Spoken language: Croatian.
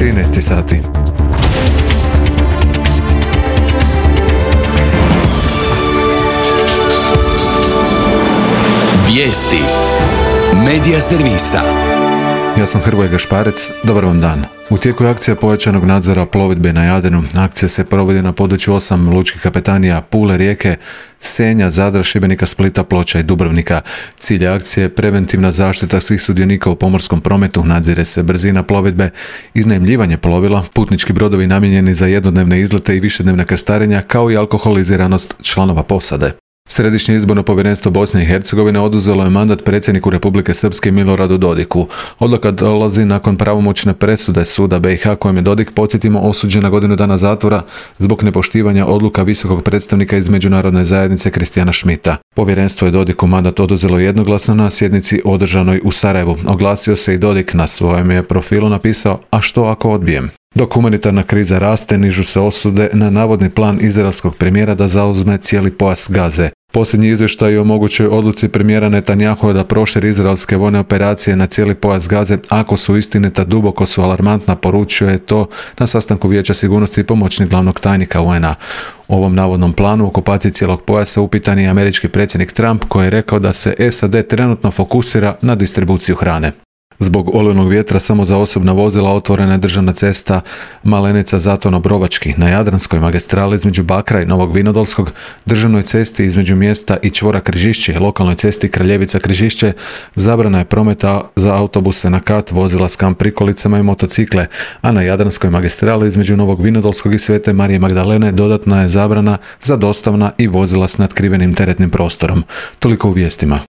13 sati. Vijesti Medija servisa. Ja sam Hrvoje Gašparec, dobar vam dan. U tijeku je akcija pojačanog nadzora plovidbe na Jadranu. Akcija se provodi na području 8 lučkih kapetanija Pule, Rijeke, Senja, Zadra, Šibenika, Splita, Ploča i Dubrovnika. Cilj akcije je preventivna zaštita svih sudionika u pomorskom prometu, nadzire se brzina plovidbe, iznajmljivanje plovila, putnički brodovi namijenjeni za jednodnevne izlete i višednevne krstarenja, kao i alkoholiziranost članova posade. Središnje izborno povjerenstvo Bosne i Hercegovine oduzelo je mandat predsjedniku Republike Srpske Miloradu Dodiku. Odluka dolazi nakon pravomoćne presude suda BiH kojem je Dodik, podsjetimo, osuđen na godinu dana zatvora zbog nepoštivanja odluka visokog predstavnika iz međunarodne zajednice Kristijana Schmidta. Povjerenstvo je Dodiku mandat oduzelo jednoglasno na sjednici održanoj u Sarajevu. Oglasio se i Dodik, na svojem je profilu napisao: "A što ako odbijem?" Dok humanitarna kriza raste, nižu se osude na navodni plan izraelskog premijera da zauzme cijeli pojas Gaze. Posljednji izvještaj o mogućoj odluci premijera Netanjahua da proširi izraelske vojne operacije na cijeli pojas Gaze, ako su istinita, duboko su alarmantna, poručio je to na sastanku Vijeća sigurnosti i pomoćnik glavnog tajnika UN-a. U ovom navodnom planu okupacije cijelog pojasa upitan je američki predsjednik Trump, koji je rekao da se SAD trenutno fokusira na distribuciju hrane. Zbog olujnog vjetra samo za osobna vozila otvorena je državna cesta Malenica-Zatono-Brovački na Jadranskoj magistrali između Bakra i Novog Vinodolskog, državnoj cesti između mjesta i čvora Križišće, lokalnoj cesti Kraljevica-Križišće. Zabrana je prometa za autobuse na kat, vozila s kamp prikolicama i motocikle, a na Jadranskoj magistrali između Novog Vinodolskog i Svete Marije Magdalene dodatna je zabrana za dostavna i vozila s natkrivenim teretnim prostorom. Toliko u vijestima.